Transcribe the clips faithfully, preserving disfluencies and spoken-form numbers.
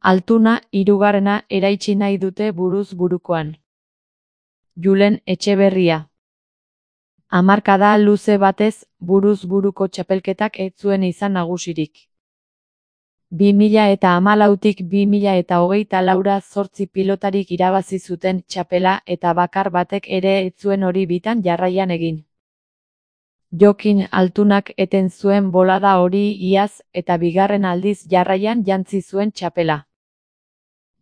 Altuna hirugarrena eraitsi nahi dute buruz burukoan. Julen Etxeberria. Hamarkada luze batez, buruz buruko txapelketak ez zuen izan nagusirik. bi mila eta hamalautik bi mila eta hogeita laura zortzi pilotarik irabazi zuten txapela eta bakar batek ere ez zuen hori bitan jarraian egin. Jokin Altunak eten zuen bolada hori iaz eta bigarren aldiz jarraian jantzi zuen txapela.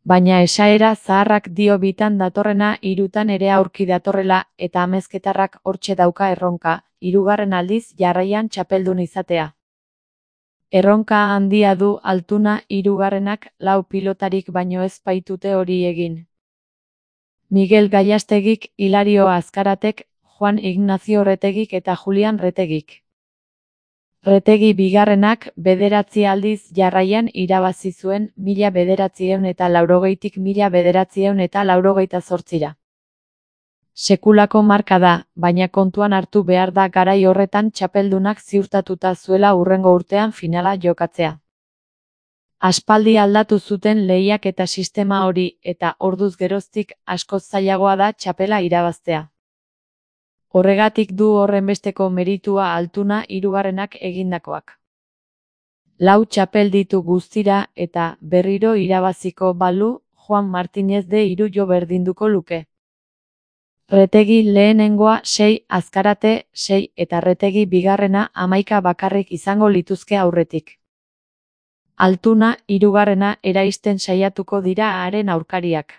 Baina esaera zaharrak dio bitan datorrena hirutan ere aurki datorrela eta amezketarrak hortxe dauka erronka, hirugarren aldiz jarraian txapeldun izatea. Erronka handia du Altuna hirugarrenak lau pilotarik baino ez baitute hori egin. Miguel Gallastegik, Hilario Azkaratek, Juan Ignacio Retegik eta Julian Retegik. Retegi bigarrenak bederatzi aldiz jarraian irabazi zuen mila bederatziehun eta laurogeitik mila bederatziehun eta laurogeita zortzira. Sekulako marka da, baina kontuan hartu behar da garai horretan txapeldunak ziurtatuta zuela hurrengo urtean finala jokatzea. Aspaldi aldatu zuten lehiak eta sistema hori eta orduz geroztik askoz zailagoa da txapela irabaztea. Horregatik du horrenbesteko meritua Altuna hirugarrenak egindakoak. Lau txapel ditu guztira eta berriro irabaziko balu Juan Martínez de hiru jo berdinduko luke. Retegi lehenengoa sei, Azkarate sei eta Retegi bigarrena hamaika bakarrik izango lituzke aurretik. Altuna hirugarrena eraisten saiatuko dira haren aurkariak.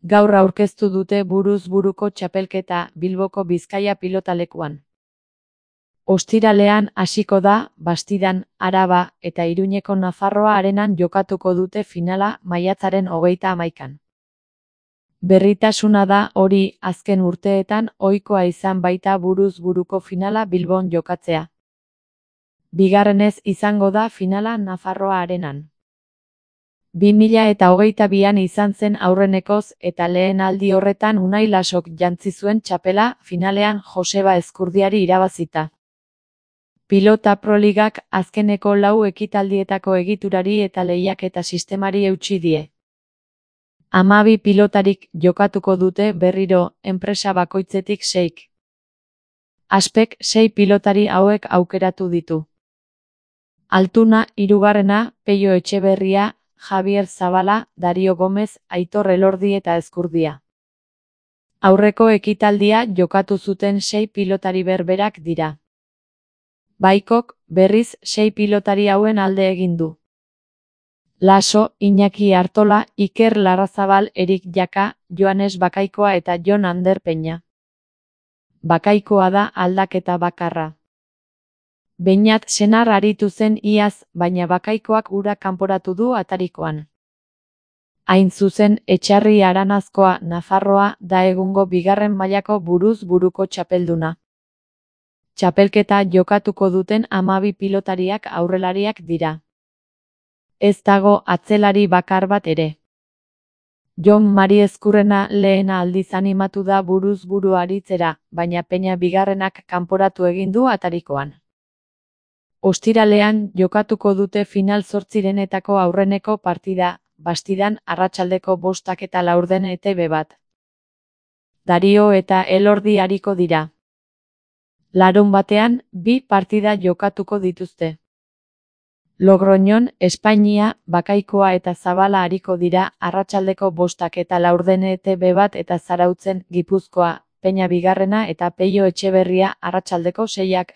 Gaur aurkeztu dute buruz buruko txapelketa Bilboko Bizkaia pilotalekuan. Ostiralean hasiko da, Bastidan, Araba eta Iruñeko Nafarroa arenan jokatuko dute finala maiatzaren hogeita hamaikan. Berritasuna da hori azken urteetan ohikoa izan baita buruz buruko finala Bilbon jokatzea. Bigarrenez izango da finala Nafarroa arenan. bi mila eta hogeita bian izan zen aurrenekoz eta lehen aldi horretan Unai Lasok jantzi zuen txapela finalean Joseba Ezkurdiari irabazita. Pilota Proligak azkeneko lau ekitaldietako egiturari eta lehiaketa sistemari eutsi die. Hamabi pilotarik jokatuko dute berriro enpresa bakoitzetik seik. Aspek sei pilotari hauek aukeratu ditu. Altuna hirugarrena, Peio Etxeberria, Javier Zabala, Dario Gomez, Aitor Elordi eta Ezkurdia. Aurreko ekitaldia jokatu zuten sei pilotari berberak dira. Baikok, berriz, sei pilotari hauen alde egin du. Laso, Iñaki Artola, Iker Larrazabal, Erik Jaka, Joanes Bakaikoa eta Jon Ander Peña. Bakaikoa da aldaketa bakarra. Beñat senar aritu zen iaz, baina Bakaikoak ura kanporatu du atarikoan. Hain zuzen, Etxarri Aranazkoa Nafarroa da egungo bigarren mailako buruz buruko txapelduna. Txapelketa jokatuko duten hamabi pilotariak aurrelariak dira. Ez dago atzelari bakar bat ere. Jon Mari Ezkurrena lehena aldiz animatu da buruz buru aritzera, baina Peña bigarrenak kanporatu egin du atarikoan. Ostiralean jokatuko dute final zortzirenetako aurreneko partida, Bastidan arratsaldeko bostak eta laurden E T B bat. Dario eta Elordi ariko dira. Larun batean, bi partida jokatuko dituzte. Logroñon, Espainia, Bakaikoa eta Zabala ariko dira arratsaldeko bostak eta laurden E T B bat eta Zarautzen, Gipuzkoa, Peña bigarrena eta Peio Etxeberria arratsaldeko seiak.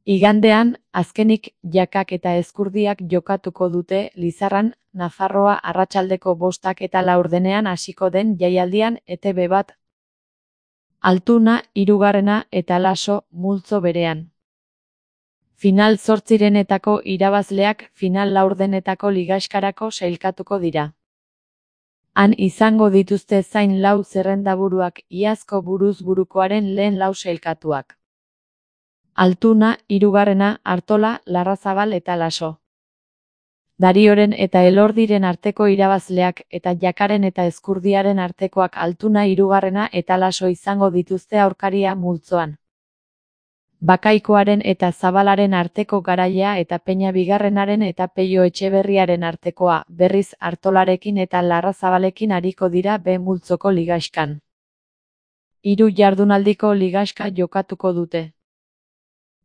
Igandean, azkenik Jakak eta Ezkurdiak jokatuko dute Lizarran, Nafarroa arratsaldeko bostak eta laurdenean hasiko den jaialdian E T B bat. Altuna hirugarrena eta Laso multzo berean. Final zortzirenetako irabazleak final laurdenetako ligaxkarako sailkatuko dira. Han izango dituzte zain lau zerrendaburuak iazko buruz burukoaren lehen lau sailkatuak. Altuna, hirugarrena, Artola, Larrazabal eta Laso. Darioren eta Elordiren arteko irabazleak eta Jakaren eta Ezkurdiaren artekoak Altuna hirugarrena eta Laso izango dituzte aurkaria multzoan. Bakaikoaren eta Zabalaren arteko garaia eta Peña Bigarrenaren eta Peio Etxeberriaren artekoa, berriz Artolarekin eta Larrazabalekin ariko dira B multzoko ligaxkan. Hiru jardunaldiko ligaxka jokatuko dute.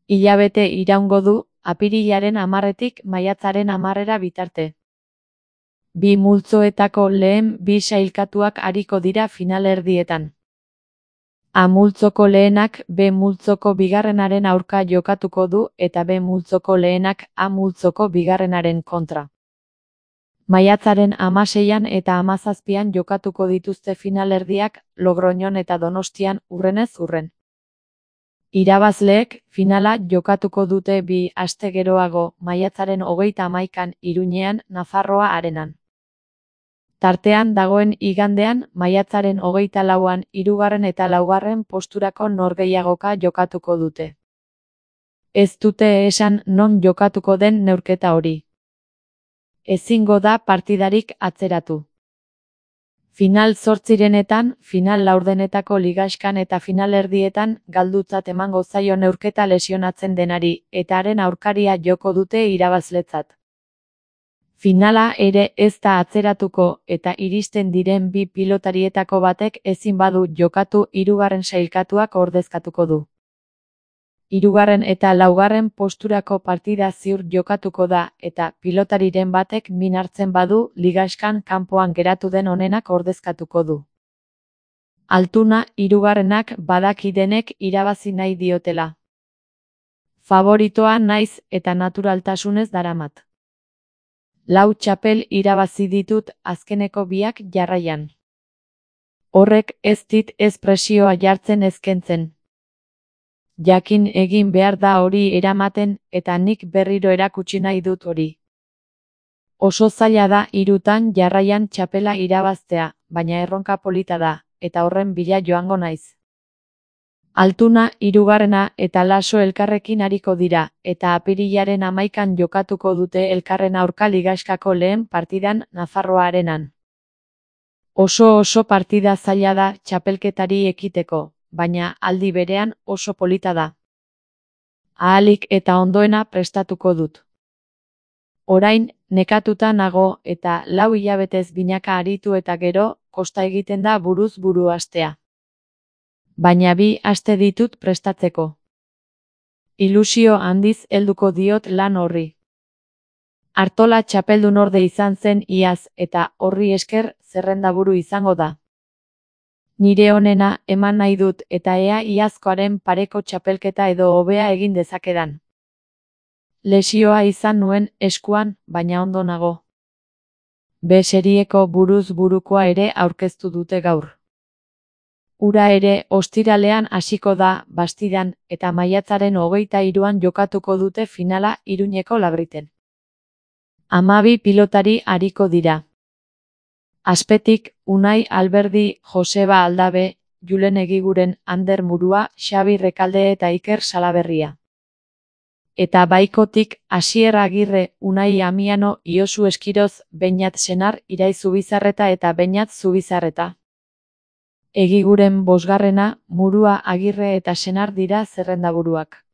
Hilabete iraungo du, apirilaren hamarretik maiatzaren hamarrera bitarte. Bi multzoetako lehen bi sailkatuak ariko dira finalerdietan. A multzoko lehenak B multzoko bigarrenaren aurka jokatuko du eta B multzoko lehenak A multzoko bigarrenaren kontra. Maiatzaren hamaseian eta hamazazpian jokatuko dituzte finalerdiak Logroñon eta Donostian urrenez urren. Irabazleek finala jokatuko dute bi aste geroago maiatzaren hogeita hamaikan Iruñean Nafarroa Arenan. Tartean dagoen igandean maiatzaren hogeita lauan hirugarren eta laugarren posturako norgehiagoka jokatuko dute. Ez dute esan non jokatuko den neurketa hori. Ezingo da partidarik atzeratu. Final zortzirenetan, final laurdenetako ligaxkan eta finalerdietan galdutzat emango zaio neurketa lesionatzen denari eta haren aurkaria joko dute irabazletzat. Finala ere ez da atzeratuko eta iristen diren bi pilotarietako batek ezin badu jokatu hirugarren sailkatuak ordezkatuko du. Hirugarren eta laugarren posturako partida ziur jokatuko da eta pilotariren batek min hartzen badu ligaxkan kanpoan geratu den onenak ordezkatuko du. Altuna hirugarrenak badaki denek irabazi nahi diotela. Favoritoa naiz eta naturaltasunez daramat. Lau txapel irabazi ditut azkeneko biak jarraian. Horrek ez dit ez presioa jartzen ezkentzen. Jakin egin behar da hori eramaten eta nik berriro erakutsi nahi dut hori. Oso zaila da hirutan jarraian txapela irabaztea, baina erronka polita da, eta horren bila joango naiz. Altuna hirugarrena eta Laso elkarrekin ariko dira, eta apirilaren hamaikan jokatuko dute elkarren aurka ligaxkako lehen partidan Nafarroa Arenan. Oso oso partida zaila da txapelketari ekiteko, baina aldi berean oso polita da. Ahalik eta ondoena prestatuko dut. Orain, nekatuta nago eta lau hilabetez binaka aritu eta gero, kosta egiten da buruz buru astea. Baina bi aste ditut prestatzeko. Ilusio handiz helduko diot lan horri. Artola txapeldun orde izan zen iaz eta horri esker zerrendaburu izango da. Nire onena eman nahi dut eta ea iazkoaren pareko txapelketa edo hobea egin dezakedan. Lesioa izan nuen eskuan, baina ondo nago. B serieko buruz burukoa ere aurkeztu dute gaur. Ura ere ostiralean hasiko da Bastidan eta maiatzaren hogeita hiruan jokatuko dute finala Iruñeko Labriten. Hamabi pilotari ariko dira. Azpetik, Unai Alberdi, Joseba Aldabe, Julen Egiguren, Ander Murua, Xabi Rekalde eta Iker Salaberria. Eta baikotik, Asier Agirre, Unai Amiano, Iosu Eskiroz, Beñat Senar, Irai Zubizarreta eta Beñat Zubizarreta. Egiguren bosgarrena, Murua Agirre eta Senar dira zerrendaburuak.